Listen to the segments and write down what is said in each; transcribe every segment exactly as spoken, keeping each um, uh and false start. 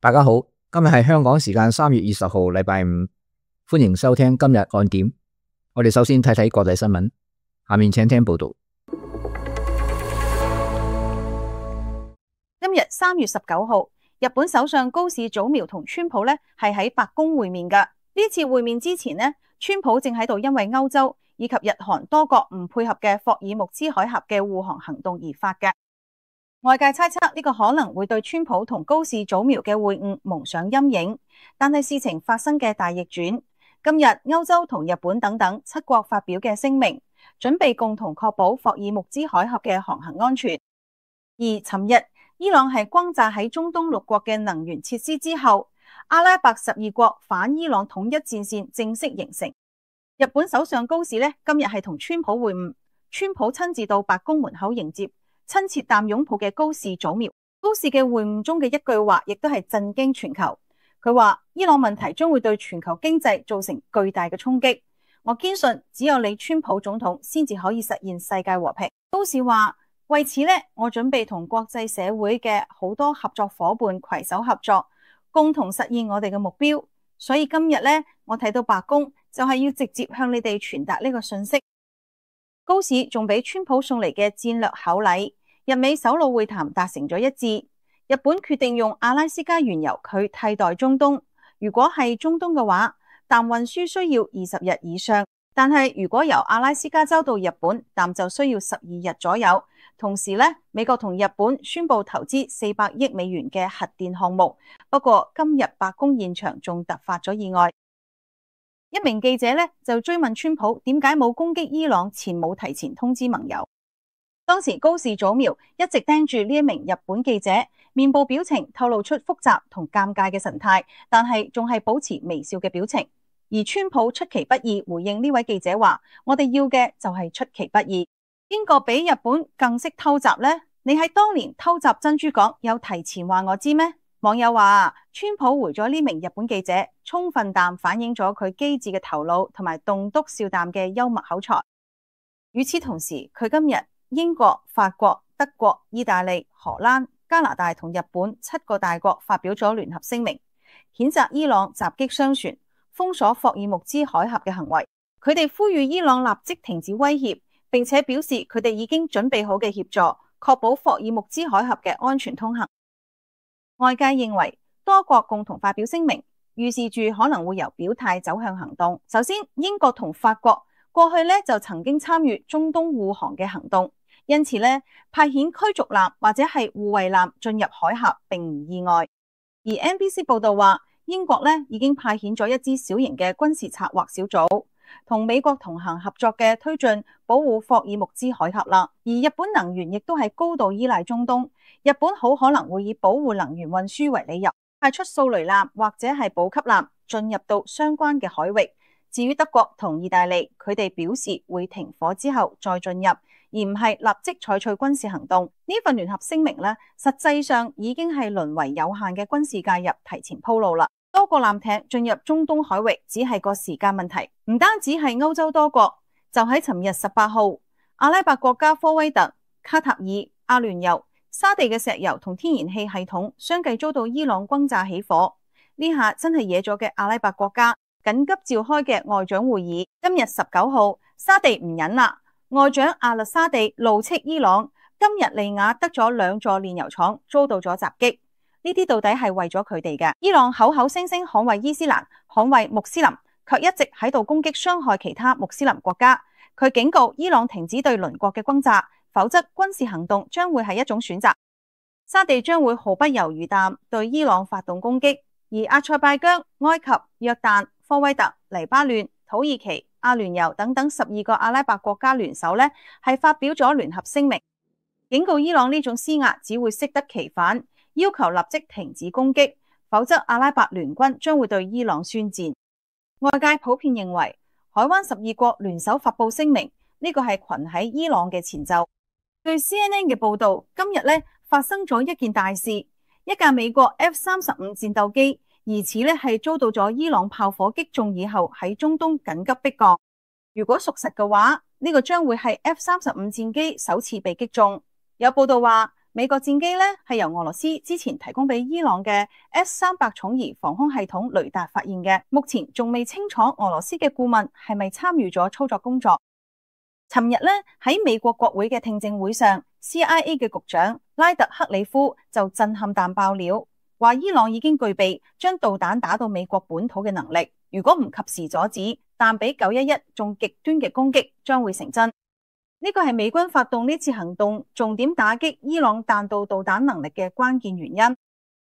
大家好，今日係香港時間三月二十號，禮拜五，歡迎收聽今日看點。我哋首先睇睇國際新聞，下面請聽報道。今日三月十九號，日本首相高市早苗同川普呢係喺白宮會面㗎。呢次會面之前呢，川普正喺度因為歐洲以及日韓多國唔配合嘅霍爾木茲海峽嘅護航行動而發嘅。外界猜測呢個可能會對川普同高市早苗嘅會晤蒙上陰影，但係事情發生嘅大逆轉。今日歐洲同日本等等七國發表嘅聲明，準備共同確保霍爾木茲海峽嘅航行安全。而尋日伊朗係轟炸喺中東六國嘅能源設施之後，阿拉伯十二國反伊朗統一戰線正式形成。日本首相高市呢今日係同川普會晤，川普親自到白宮門口迎接，親切啖擁抱嘅高市早苗。高市嘅會晤中嘅一句話亦都係震驚全球。佢話伊朗問題將會對全球經濟造成巨大嘅衝擊，我堅信只有你川普總統先至可以實現世界和平。高市話為此呢，我準備同國際社會嘅好多合作夥伴攜手合作，共同實現我哋嘅目標。所以今日呢，我睇到白宮就係要直接向你哋傳達呢個信息。高市仲俾川普送嚟嘅戰略厚禮，日美首腦會談達成咗一致。日本決定用阿拉斯加原油去替代中東。如果係中東嘅話，氮運輸需要二十日以上，但係如果由阿拉斯加州到日本，氮就需要十二日左右。同時呢，美國同日本宣布投資四百億美元嘅核電項目。不過今日白宮現場仲突發咗意外。一名記者呢就追問川普點解冇攻擊伊朗前冇提前通知盟友。當時高市早苗一直盯住呢一名日本記者，面部表情透露出複雜同尷尬嘅神態，但係仲係保持微笑嘅表情。而川普出其不意回應呢位記者話：我哋要嘅就係出其不意。邊個比日本更識偷襲呢？你喺當年偷襲珍珠港有提前話我知咩？網友話川普回咗呢名日本記者，充分地反映咗佢機智嘅頭腦同埋棟篤笑啖嘅幽默口才。與此同時，佢今日英國、法國、德國、意大利、荷蘭、加拿大同日本七個大國發表咗聯合聲明，譴責伊朗襲擊商船、封鎖霍爾木茲海峽嘅行為。佢哋呼籲伊朗立即停止威脅，並且表示佢哋已經準備好嘅協助，確保霍爾木茲海峽嘅安全通行。外界認為多國共同發表聲明，預示住可能會由表態走向行動。首先，英國同法國過去呢就曾經參與中東護航嘅行動，因此呢派遣驅逐艦或者係護衛艦進入海峽並唔意外。而 N B C 報道話，英國呢已經派遣咗一支小型嘅軍事策劃小組，同美國同行合作嘅推進保護霍爾木茲海峽啦。而日本能源亦都係高度依賴中東，日本好可能會以保護能源運輸為理由，派出掃雷艦或者係補給艦進入到相關嘅海域。至於德國同意大利，佢哋表示會停火之後再進入，而唔係立即採取軍事行動。呢份聯合聲明呢，實際上已經係淪為有限嘅軍事介入提前鋪路啦。多個艦艇進入中東海域只係個時間問題。唔單止係歐洲多國，就喺尋日十八號，阿拉伯國家科威特、卡塔爾、阿聯酋、沙地嘅石油同天然氣系統相繼遭到伊朗轟炸起火。呢下真係惹咗嘅阿拉伯國家緊急召開嘅外長會議。今日十九號，沙地唔忍啦，外長阿勒沙地怒斥伊朗，今日利雅得咗兩座煉油廠遭到咗襲擊。呢啲到底係為咗佢哋嘅？伊朗口口聲聲捍衛伊斯蘭、捍衛穆斯林，卻一直喺度攻擊傷害其他穆斯林國家。佢警告伊朗停止對鄰國嘅轟炸，否則軍事行動將會係一種選擇。沙地將會毫不猶豫地對伊朗發動攻擊。而阿塞拜疆、埃及、約旦、科威特、黎巴嫩、土耳其、阿聯酋等等十二個阿拉伯國家聯手呢，係發表咗聯合聲明，警告伊朗呢種施壓只會適得其反，要求立即停止攻擊，否則阿拉伯聯軍將會對伊朗宣戰。外界普遍認為海灣十二國聯手發布聲明，呢個係群喺伊朗嘅前奏。據 C N N 嘅報道，今日呢發生咗一件大事，一架美國 F 三十五戰鬥機疑似呢係遭到咗伊朗炮火擊中以後喺中東緊急迫降。如果屬實嘅話，呢個將會係 F 三十五戰機首次被擊中。有報道話美國戰機呢係由俄羅斯之前提供俾伊朗嘅 S 三百重移防空系統雷達發現嘅，目前仲未清楚俄羅斯嘅顧問係咪參與咗操作工作。尋日呢喺美國國會嘅聽證會上 ，C I A 嘅局長拉特克里夫就震撼彈爆料，話伊朗已經具備將導彈打到美國本土嘅能力，如果唔及時阻止，彈比九一一仲極端嘅攻擊將會成真。呢個係美軍發動呢次行動重點打擊伊朗彈道導彈能力嘅關鍵原因，而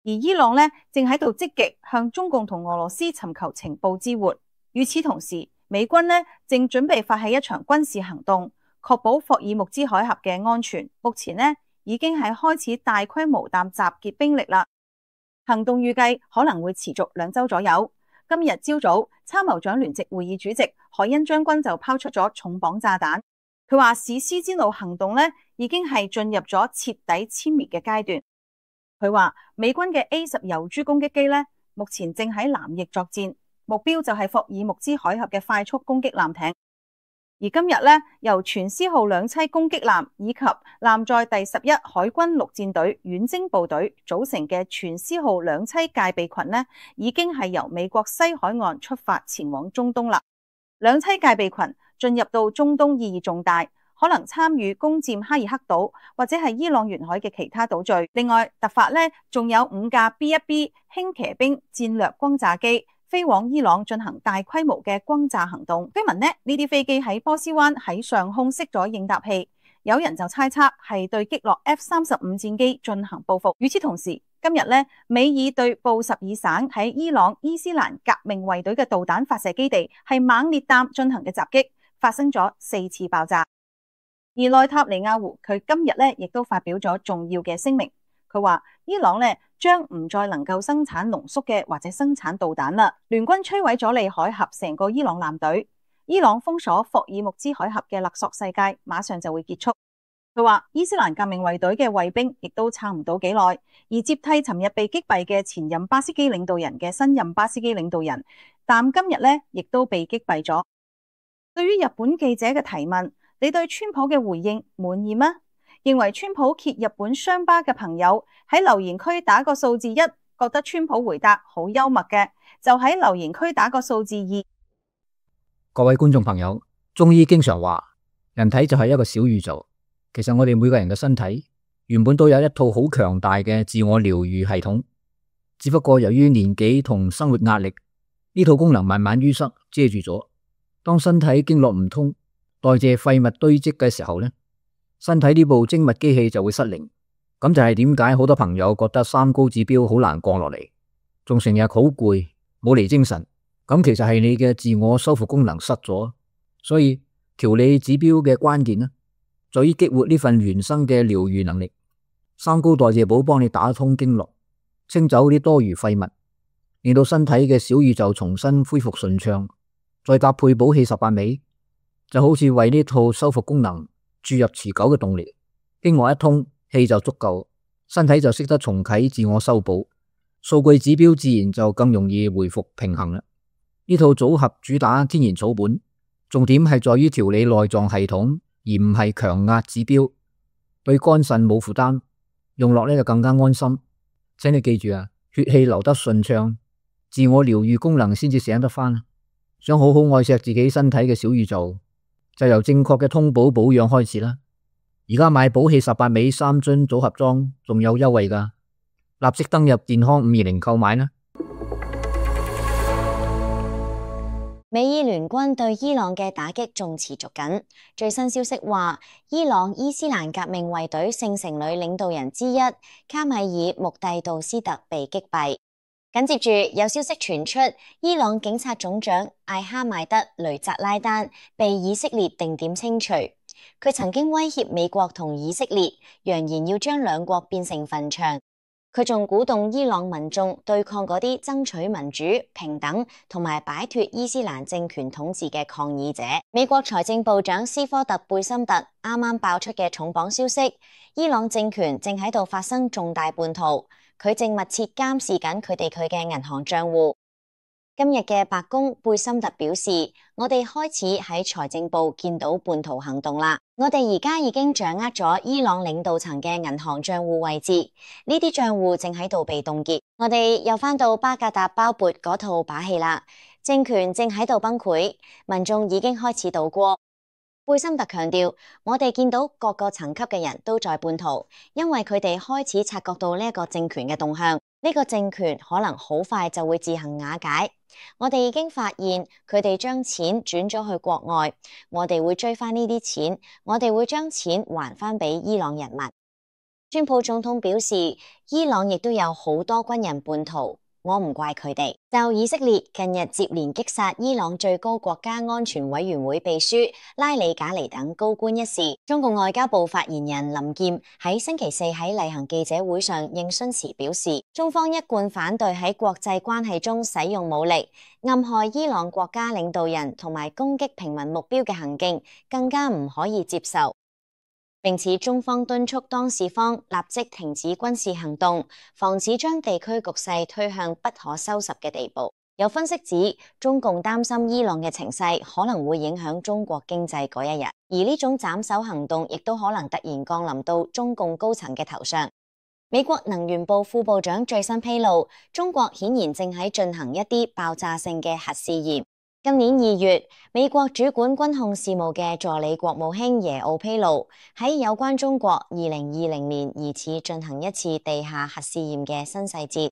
伊朗呢正喺度積極向中共同俄羅斯尋求情報支援。與此同時，美軍呢正準備發起一場軍事行動，確保霍爾木茲海峽嘅安全。目前呢已經係開始大規模淡集結兵力啦。行動預計可能會持續兩週左右。今日朝早，參謀長聯席會議主席海恩將軍就拋出咗重磅炸彈。佢話史詩之怒行動呢已經係進入咗徹底殲滅嘅階段。佢話美軍嘅 A 十遊珠攻擊機呢目前正喺南翼作戰。目標就係霍爾木茲海峽嘅快速攻擊艦艇，而今日呢，由全獅號兩棲攻擊艦以及艦載第十一海軍陸戰隊遠征部隊組成嘅全獅號兩棲戒備群呢，已經係由美國西海岸出發前往中東啦。兩棲戒備群進入到中東意義重大，可能參與攻佔哈爾克島或者係伊朗沿海嘅其他島嶼。另外，突發呢仲有五架 B 一 B 輕騎兵戰略轟炸機飛往伊朗進行大規模嘅轟炸行動。據聞呢呢啲飛機喺波斯灣喺上空熄咗應答器，有人就猜測係對擊落 F 三十五戰機進行報復。與此同時，今日呢美爾對布什爾省喺伊朗伊斯蘭革命衛隊嘅導彈發射基地係猛烈彈進行嘅襲擊，發生咗四次爆炸。而內塔尼亞胡佢今日呢亦都發表咗重要嘅聲明，佢話伊朗呢將唔再能夠生產濃縮嘅或者生產導彈啦。聯軍摧毀咗里海峽成個伊朗艦隊，伊朗封鎖霍爾木茲海峽嘅勒索世界馬上就會結束。佢話伊斯蘭革命衛隊嘅衛兵亦都撐唔到幾耐，而接替尋日被擊斃嘅前任巴斯基領導人嘅新任巴斯基領導人，但今日呢亦都被擊斃咗。對於日本記者嘅提問，你對川普嘅回應滿意嗎？認為川普揭日本傷疤嘅朋友喺留言區打個數字一，覺得川普回答好幽默嘅，就喺留言區打個數字二。各位觀眾朋友，中醫經常話人體就係一個小宇宙，其實我哋每個人嘅身體原本都有一套好強大嘅自我療愈系統，只不過由於年紀同生活壓力，呢套功能慢慢淤塞遮住咗。當身體經絡唔通，代謝廢物堆積嘅時候呢，身體呢部精密機器就會失靈。咁就係點解好多朋友覺得三高指標好難降落嚟，仲成日好攰，冇嚟精神。咁其實係你嘅自我修復功能失咗。所以調理指標嘅關鍵呢，在於激活呢份原生嘅療愈能力。三高代謝寶幫你打通經絡，清走啲多餘廢物，令到身體嘅小宇宙重新恢復順暢。再搭配補氣十八味，就好似為呢套修復功能注入持久嘅動力。經絡一通，氣就足夠，身體就識得重啟自我修補，數據指標自然就更容易回復平衡啦。呢套組合主打天然草本，重點係在於調理內臟系統，而唔係強壓指標，對肝腎冇負擔，用落呢就更加安心。請你記住啊，血氣流得順暢，自我療愈功能先至醒得返。想好好愛錫自己身體嘅小宇宙，就由正確嘅通補保養開始啦。而家買補氣十八味三樽組合裝仲有優惠㗎，立即登入健康五二零購買啦。美伊聯軍對伊朗嘅打擊仲持續緊。最新消息話，伊朗伊斯蘭革命衛隊聖城旅領導人之一卡米爾穆蒂杜斯特被擊斃。緊接住有消息傳出，伊朗警察總長艾哈邁德雷扎拉丹被以色列定點清除。佢曾經威脅美國同以色列，揚言要將兩國變成墳場。佢仲鼓動伊朗民眾對抗嗰啲爭取民主、平等同埋擺脫伊斯蘭政權統治嘅抗議者。美國財政部長斯科特貝森特啱啱爆出嘅重磅消息，伊朗政權正喺度發生重大叛徒，佢正密切監視緊佢哋佢嘅銀行賬戶。今日嘅白宮貝森特表示，我哋開始喺財政部見到叛徒行動啦。我哋而家已經掌握咗伊朗領導層嘅銀行賬戶位置，呢啲賬戶正喺度被凍結。我哋又返到巴格達包缽嗰套把戲啦，政權正喺度崩潰，民眾已經開始倒戈。貝森特強調，我哋見到各個層級嘅人都在叛逃，因為佢哋開始察覺到呢一個政權嘅動向，呢個政權可能好快就會自行瓦解。我哋已經發現佢哋將錢轉咗去國外，我哋會追翻呢啲錢，我哋會將錢還翻俾伊朗人民。川普總統表示，伊朗亦都有好多軍人叛逃。我唔怪佢哋。就以色列近日接連擊殺伊朗最高國家安全委員會秘書拉里賈尼等高官一事，中共外交部發言人林劍喺星期四喺例行記者會上應詢時表示，中方一貫反對喺國際關係中使用武力，暗害伊朗國家領導人同埋攻擊平民目標嘅行徑，更加唔可以接受。並且中方敦促當事方立即停止軍事行動，防止將地區局勢推向不可收拾嘅地步。有分析指，中共擔心伊朗嘅情勢可能會影響中國經濟嗰一日，而呢種斬首行動亦都可能突然降臨到中共高層嘅頭上。美國能源部副部長最新披露，中國顯然正喺進行一啲爆炸性嘅核試驗。今年二月，美國主管軍控事務嘅助理國務卿耶奧披露，喺有關中國二零二零年疑似進行一次地下核試驗嘅新細節。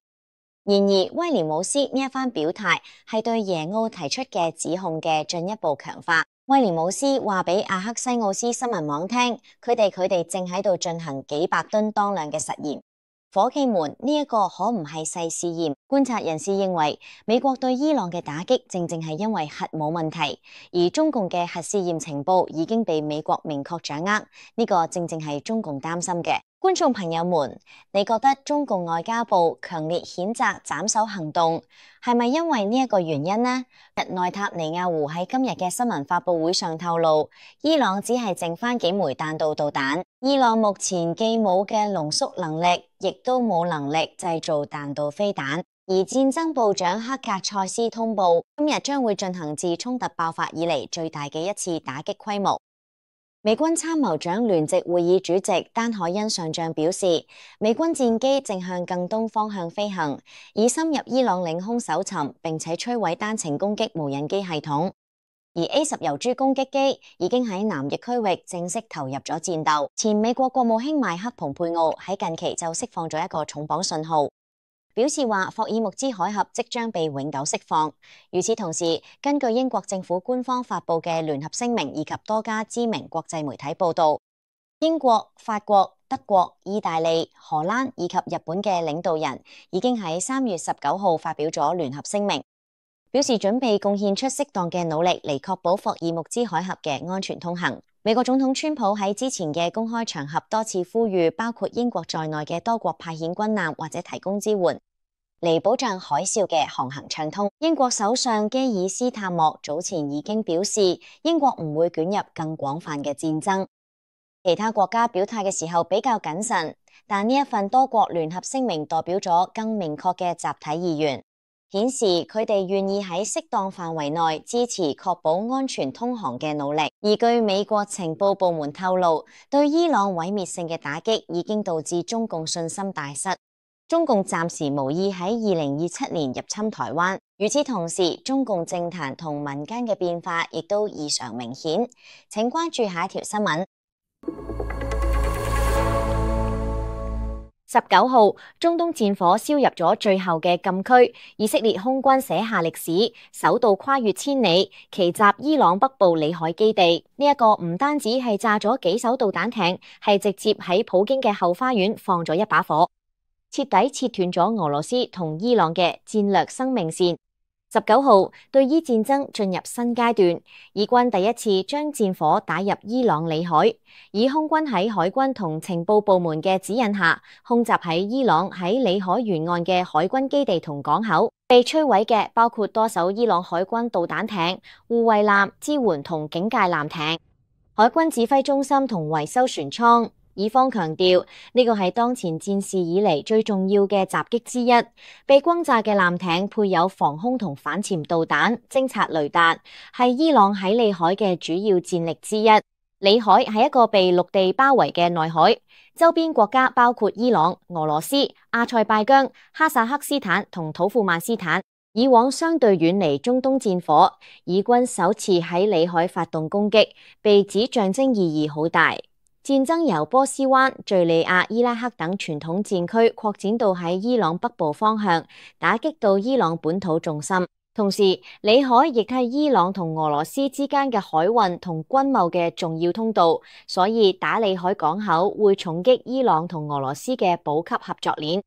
然而，威廉姆斯呢一番表態係對耶奧提出嘅指控嘅進一步強化。威廉姆斯話俾阿克西奧斯新聞網聽，佢哋佢哋正喺度進行幾百噸當量嘅實驗。伙計們，呢一個可唔係細試驗。觀察人士認為，美國對伊朗嘅打擊正正係因為核武問題，而中共嘅核試驗情報已經被美國明確掌握，呢個正正係中共擔心嘅。觀眾朋友們，你覺得中共外交部強烈譴責斬首行動係咪因為呢一個原因呢？內塔尼亞胡喺今日嘅新聞發佈會上透露，伊朗只係剩翻幾枚彈道導彈，伊朗目前既冇嘅濃縮能力，亦都冇能力製造彈道飛彈。而戰爭部長克格塞斯通報，今日將會進行自衝突爆發以嚟最大嘅一次打擊規模。美軍參謀長聯席會議主席丹海恩上將表示，美軍戰機正向更東方向飛行，以深入伊朗領空搜尋，並且摧毀單程攻擊無人機系統。而 A 十遊珠攻擊機已經喺南翼區域正式投入咗戰鬥。前美國國務卿邁克蓬佩奧喺近期就釋放咗一個重磅信號，表示話霍爾木茲海峽即將被永久釋放。與此同時，根據英國政府官方發布嘅聯合聲明以及多家知名國際媒體報道，英國、法國、德國、意大利、荷蘭以及日本嘅領導人已經喺三月十九號發表咗聯合聲明，表示準備貢獻出適當嘅努力嚟確保霍爾木茲海峽嘅安全通行。美國總統川普喺之前嘅公開場合多次呼籲，包括英國在內嘅多國派遣軍艦或者提供支援，嚟保障海嘯嘅航行暢通。英國首相基爾斯塔莫早前已經表示，英國唔會捲入更廣泛嘅戰爭。其他國家表態嘅時候比較謹慎，但呢一份多國聯合聲明代表咗更明確嘅集體意願，顯示佢哋願意喺適當範圍內支持確保安全通航嘅努力。而據美國情報部門透露，對伊朗毀滅性嘅打擊已經導致中共信心大失。中共暫時無意喺二零二七年入侵台灣。與此同時，中共政壇同民間嘅變化亦都異常明顯。請關注下一條新聞。十九號，中東戰火燒入咗最後嘅禁區，以色列空軍寫下歷史，首度跨越千里，奇襲伊朗北部裏海基地。呢、這、一個唔單止係炸咗幾艘導彈艇，係直接喺普京嘅後花園放咗一把火，徹底切斷咗俄羅斯同伊朗嘅戰略生命線。十九號，對伊戰爭進入新階段，以軍第一次將戰火打入伊朗裏海，以空軍喺海軍同情報部門嘅指引下，空襲喺伊朗喺裏海沿岸嘅海軍基地同港口。被摧毀嘅包括多艘伊朗海軍導彈艇、護衛艦、支援同警戒艦艇、海軍指揮中心同維修船艙、以方強調呢個係當前戰事以嚟最重要嘅襲擊之一。被轟炸嘅艦艇配有防空同反潛導彈、偵察雷達，係伊朗喺裏海嘅主要戰力之一。裏海係一個被陸地包圍嘅內海，周邊國家包括伊朗、俄羅斯、阿塞拜疆、哈薩克斯坦同土庫曼斯坦。以往相對遠離中東戰火，以軍首次喺裏海發動攻擊，被指象徵意義好大。戰爭由波斯灣、敘利亞、伊拉克等傳統戰區擴展到喺伊朗北部方向，打擊到伊朗本土重心。同時，裏海亦係伊朗同俄羅斯之間嘅海運同軍貿嘅重要通道，所以打裏海港口會重擊伊朗同俄羅斯嘅補給合作鏈。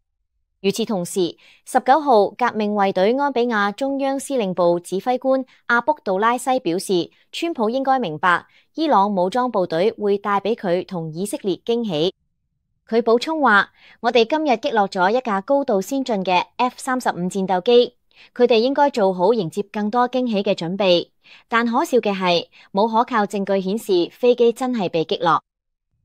與此同時，十九號革命衛隊安比亞中央司令部指揮官阿卜杜拉西表示，川普應該明白伊朗武裝部隊會帶俾佢同以色列驚喜。佢補充話，我哋今日擊落咗一架高度先進嘅 F 三十五戰鬥機，佢哋應該做好迎接更多驚喜嘅準備。但可笑嘅係，冇可靠證據顯示飛機真係被擊落。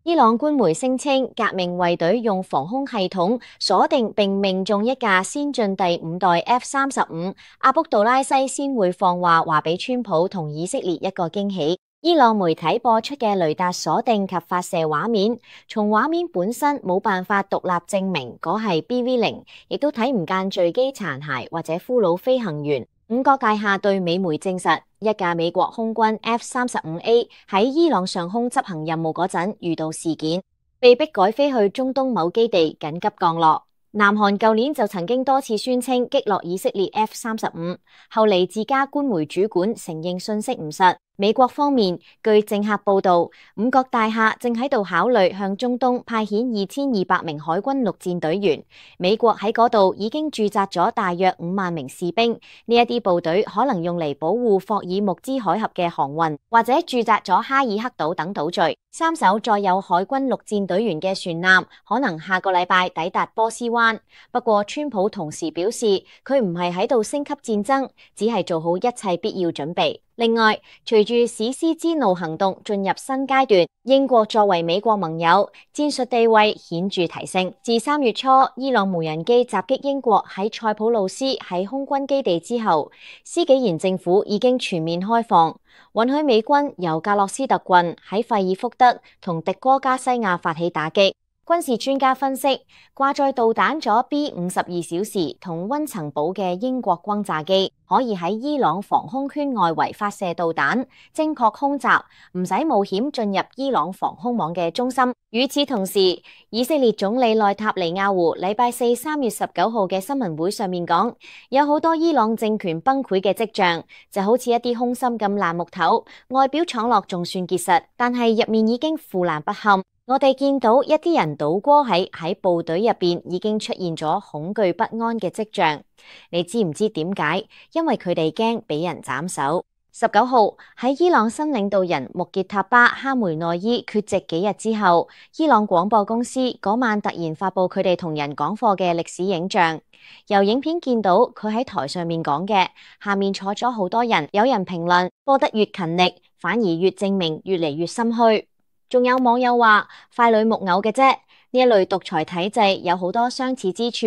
伊朗官媒聲稱，革命衛隊用防空系統鎖定並命中一架先進第五代 F 三十五，阿卜杜拉西先會放話話俾川普同以色列一個驚喜。伊朗媒體播出嘅雷達鎖定及發射畫面，從畫面本身冇辦法獨立證明嗰係 B V 零，亦都睇唔見墜機殘骸或者俘虜飛行員。五角大廈對美媒證實，一架美國空軍 F 三十五 A 喺伊朗上空執行任務嗰陣遇到事件，被迫改飛去中東某基地緊急降落。南韓舊年就曾經多次宣稱擊落以色列 F 三十五，後嚟自家官媒主管承認信息唔實。美國方面，據政客報道，五角大廈正喺度考慮向中東派遣二千二百名海軍陸戰隊員。美國喺嗰度已經駐紮咗大約五萬名士兵，呢一啲部隊可能用嚟保護霍爾木茲海峽嘅航運，或者駐紮咗哈爾克島等島嶼。三艘載有海軍陸戰隊員嘅船艦可能下個禮拜抵達波斯灣。不過，川普同時表示，佢唔係喺度升級戰爭，只係做好一切必要準備。另外，隨住史詩之怒行動進入新階段，英國作為美國盟友，戰術地位顯著提升。自三月初伊朗無人機襲擊英國喺塞浦路斯喺空軍基地之後，施紀賢政府已經全面開放，允許美軍由格洛斯特郡喺費爾福德同迪戈加西亞發起打擊。軍事專家分析，掛載導彈咗 B 五十二小時同溫層堡嘅英國轟炸機，可以喺伊朗防空圈外圍發射導彈，精確空襲，唔使冒險進入伊朗防空網嘅中心。與此同時，以色列總理內塔尼亞胡禮拜四三月十九號嘅新聞會上面講，有好多伊朗政權崩潰嘅跡象，就好似一啲空心咁爛木頭，外表闖落仲算結實，但係入面已經腐爛不堪。我哋見到一啲人倒戈喺喺部隊入邊已經出現咗恐懼不安嘅跡象。你知唔知點解？因為佢哋驚俾人斬首。十九號喺伊朗新領導人穆傑塔巴哈梅內伊缺席幾日之後，伊朗廣播公司嗰晚突然發布佢哋同人講課嘅歷史影像。由影片見到佢喺台上面講嘅，下面坐咗好多人。有人評論，播得越勤力，反而越證明越嚟越心虛。仲有網友話塊女木偶嘅啫，呢一類獨裁體制有好多相似之處，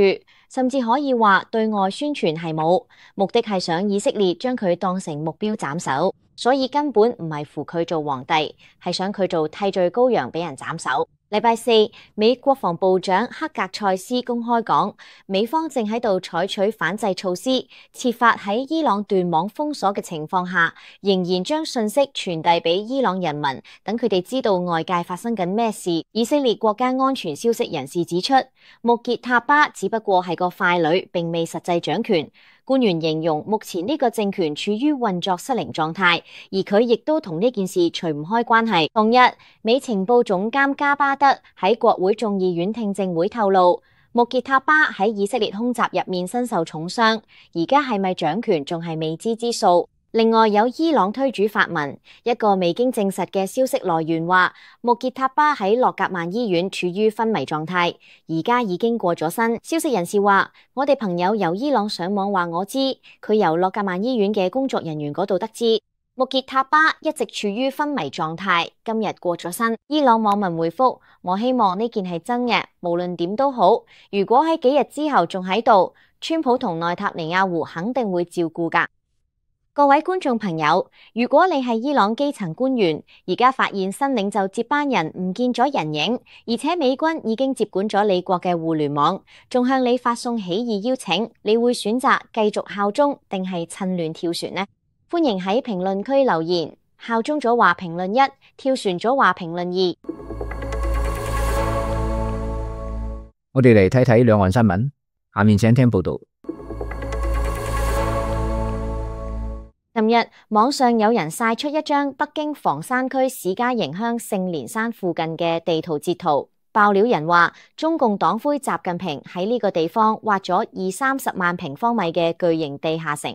甚至可以話對外宣傳係冇，目的係想以色列將佢當成目標斬首，所以根本唔係扶佢做皇帝，係想佢做替罪羔羊俾人斬首。禮拜四，美國防部長克格塞斯公開講，美方正喺度採取反制措施，設法喺伊朗斷網封鎖嘅情況下，仍然將信息傳遞俾伊朗人民，等佢哋知道外界發生緊咩事。以色列國家安全消息人士指出，穆傑塔巴只不過係個傀儡，並未實際掌權。官員形容目前呢個政權處於運作失靈狀態，而佢亦都同呢件事除唔開關係。同日，美情報總監加巴德喺國會眾議院聽證會透露，穆傑塔巴喺以色列空襲入面身受重傷，而家係咪掌權仲係未知之數。另外有伊朗推主發文，一個未經證實嘅消息來源話，穆傑塔巴喺洛格曼醫院處於昏迷狀態，而家已經過咗身。消息人士話，我哋朋友由伊朗上網話我知，佢由洛格曼醫院嘅工作人員嗰度得知。穆傑塔巴一直處於昏迷狀態，今日過咗身。伊朗網民回覆：我希望呢件係真嘅，無論點都好。如果喺幾日之後仲喺度，川普同內塔尼亞胡肯定會照顧㗎。各位觀眾朋友，如果你係伊朗基層官員，而家發現新領袖接班人唔見咗人影，而且美軍已經接管咗你國嘅互聯網，仲向你發送起義邀請，你會選擇繼續效忠定係趁亂跳船呢？歡迎喺評論區留言，效忠咗話評論一，跳船咗話評論二。我哋嚟睇睇兩岸新聞，下面請聽報道。近日網上有人晒出一張北京房山區史家營鄉聖蓮山附近嘅地圖截圖，爆料人話中共黨魁習近平喺呢個地方挖咗二三十萬平方米嘅巨型地下城，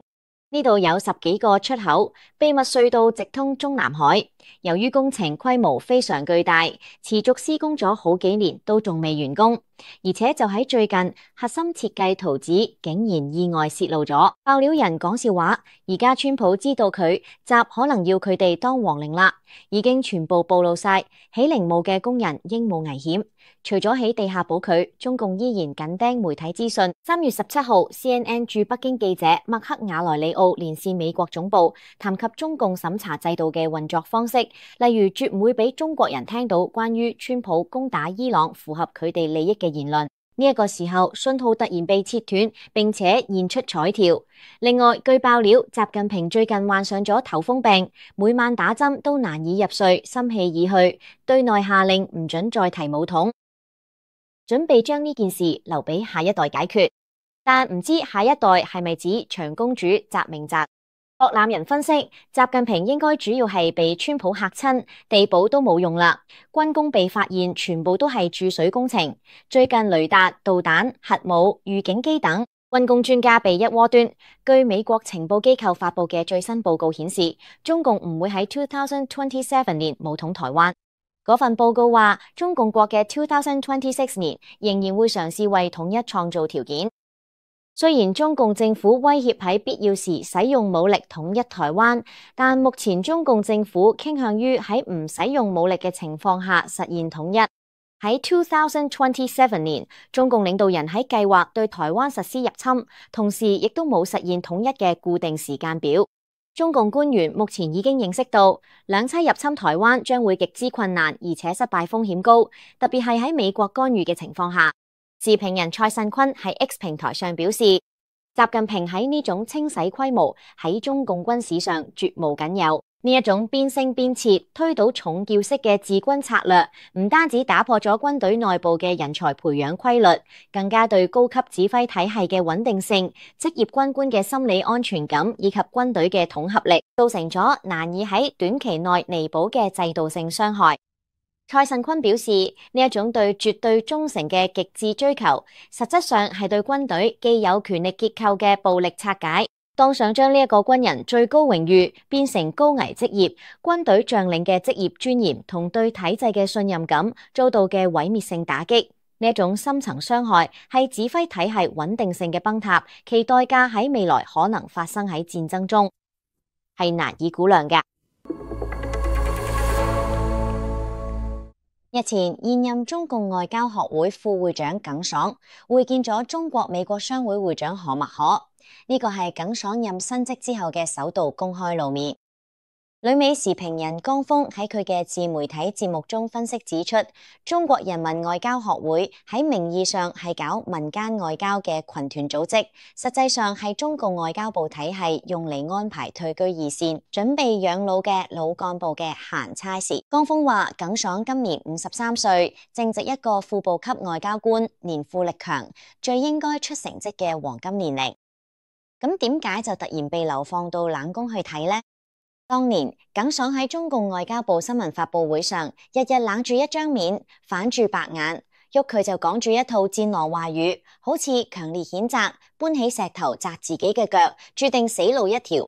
呢度有十幾個出口，秘密隧道直通中南海。由於工程規模非常巨大，持續施工咗好幾年都仲未完工，而且就喺最近，核心設計圖紙竟然意外洩露咗。爆料人講笑話，而家川普知道佢習可能要佢哋當皇陵啦，已經全部暴露晒，起陵墓嘅工人應冇危險。除咗喺地下補佢，中共依然緊盯媒體資訊。三月十七號 C N N 駐北京記者麥克瓦萊里奧連線美國總部，談及中共審查制度嘅運作方式，例如絕唔會俾中國人聽到關於川普攻打伊朗符合佢哋利益嘅言論。呢一個時候，信號突然被切斷，並且現出彩條。另外，據爆料，習近平最近患上咗頭風病，每晚打針都難以入睡，心氣已去，對內下令唔准再提武統，準備將呢件事留俾下一代解決。但唔知下一代係咪指長公主習明澤？博覽人分析，習近平應該主要係被川普嚇親，地保都冇用啦。軍工被發現全部都係注水工程，最近雷達、導彈、核武、預警機等軍工專家被一鍋端。據美國情報機構發佈嘅最新報告顯示，中共唔會喺二零二七年武統台灣。嗰份報告話，中共國嘅二零二六年仍然會嘗試為統一創造條件。雖然中共政府威脅喺必要時使用武力統一台灣，但目前中共政府傾向於喺唔使用武力嘅情況下實現統一。喺二零二七年，中共領導人喺計劃對台灣實施入侵，同時亦都冇實現統一嘅固定時間表。中共官員目前已經認識到，兩棲入侵台灣將會極之困難，而且失敗風險高，特別係喺美國干預嘅情況下。時評人蔡慎坤喺 X 平台上表示，習近平喺呢種清洗規模喺中共軍史上絕無僅有。呢一種邊升邊撤、推倒重叫式嘅治軍策略，唔單止打破咗軍隊內部嘅人才培養規律，更加對高級指揮體系嘅穩定性、職業軍官嘅心理安全感以及軍隊嘅統合力，造成咗難以喺短期內彌補嘅制度性傷害。蔡慎坤表示，呢一種對絕對忠誠嘅極致追求，實質上係對軍隊既有權力結構嘅暴力拆解。當想將呢一個軍人最高榮譽變成高危職業，軍隊將領嘅職業尊嚴同對體制嘅信任感遭到嘅毀滅性打擊。呢一種深層傷害係指揮體系穩定性嘅崩塌，其代價喺未來可能發生喺戰爭中，係難以估量嘅。日前，現任中共外交學會副會長耿爽會見咗中國美國商會會長何默可，呢個係耿爽任新職之後嘅首度公開露面。旅美時評人江峰喺佢嘅自媒體節目中分析指出，中國人民外交學會喺名義上係搞民間外交嘅群團組織，實際上係中共外交部體系用嚟安排退居二線、準備養老嘅老幹部嘅閒差事。江峰話，耿爽今年五十三歲，正值一個副部級外交官，年富力強，最應該出成績嘅黃金年齡。咁點解就突然被流放到冷宮去睇呢？當年耿爽喺中共外交部新聞發佈會上，日日冷住一張面，反住白眼，喐佢就講住一套戰狼話語，好似強烈譴責，搬起石頭砸自己嘅腳，注定死路一條。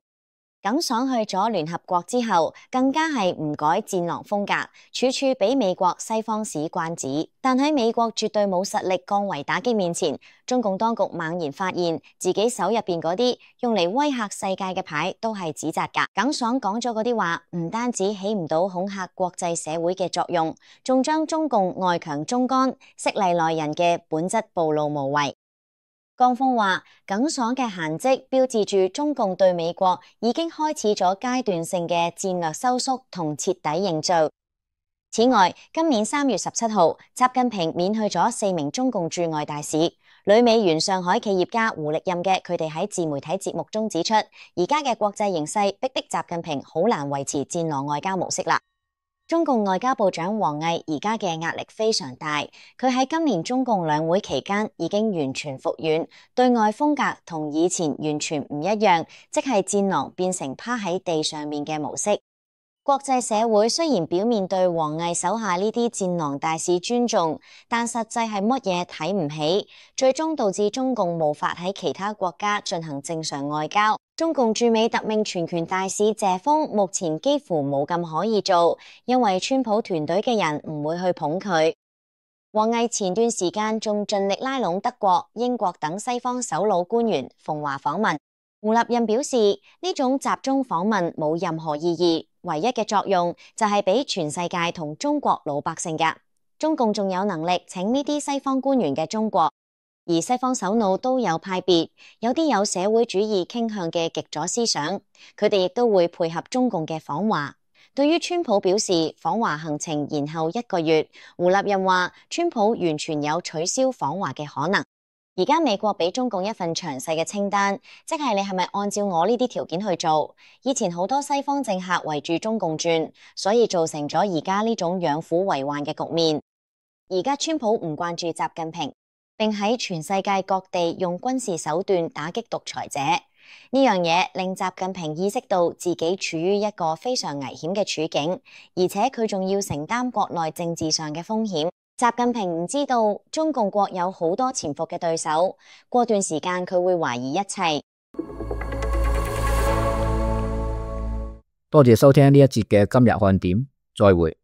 耿爽去咗聯合國之後，更加係唔改戰狼風格，處處俾美國西方使關子。但喺美國絕對冇實力降維打擊面前，中共當局猛然發現自己手入邊嗰啲用嚟威嚇世界嘅牌都係紙紮㗎。耿爽講咗嗰啲話，唔單止起唔到恐嚇國際社會嘅作用，仲將中共外強中乾、色厲內荏嘅本質暴露無遺。江峰話，耿爽嘅閒職標誌住中共對美國已經開始咗階段性嘅戰略收縮同徹底認罪。此外，今年三月十七號，習近平免去咗四名中共駐外大使。旅美原上海企業家胡力任嘅佢哋喺自媒體節目中指出，而家嘅國際形勢逼迫習近平好難維持戰狼外交模式啦。中共外交部長王毅而家嘅壓力非常大，佢喺今年中共兩會期間已經完全復軟，對外風格同以前完全唔一樣，即係戰狼變成趴喺地上面嘅模式。國際社會雖然表面對王毅手下呢啲戰狼大使尊重，但實際係乜嘢睇唔起，最終導致中共無法喺其他國家進行正常外交。中共駐美特命全權大使謝鋒目前幾乎冇咁可以做，因為川普團隊嘅人唔會去捧佢。王毅前段時間仲盡力拉攏德國、英國等西方首腦官員訪華訪問。胡立任表示，呢種集中訪問冇任何意義，唯一嘅作用就係俾全世界同中國老百姓㗎。中共仲有能力請呢啲西方官員嘅中國，而西方首腦都有派別，有啲有社會主義傾向嘅極左思想，佢哋亦都會配合中共嘅訪華。對於川普表示訪華行程延後一個月，胡立任話川普完全有取消訪華嘅可能。而家美國俾中共一份詳細嘅清單，即係你係咪按照我呢啲條件去做？以前好多西方政客圍住中共轉，所以造成咗而家呢種養虎為患嘅局面。而家川普唔慣住習近平，並喺全世界各地用軍事手段打擊獨裁者，呢樣嘢令習近平意識到自己處於一個非常危險嘅處境，而且佢仲要承擔國內政治上嘅風險。習近平唔知道中共國有好多潛伏嘅對手，過段時間佢會懷疑一切。多謝收聽呢一節嘅今日看點，再會。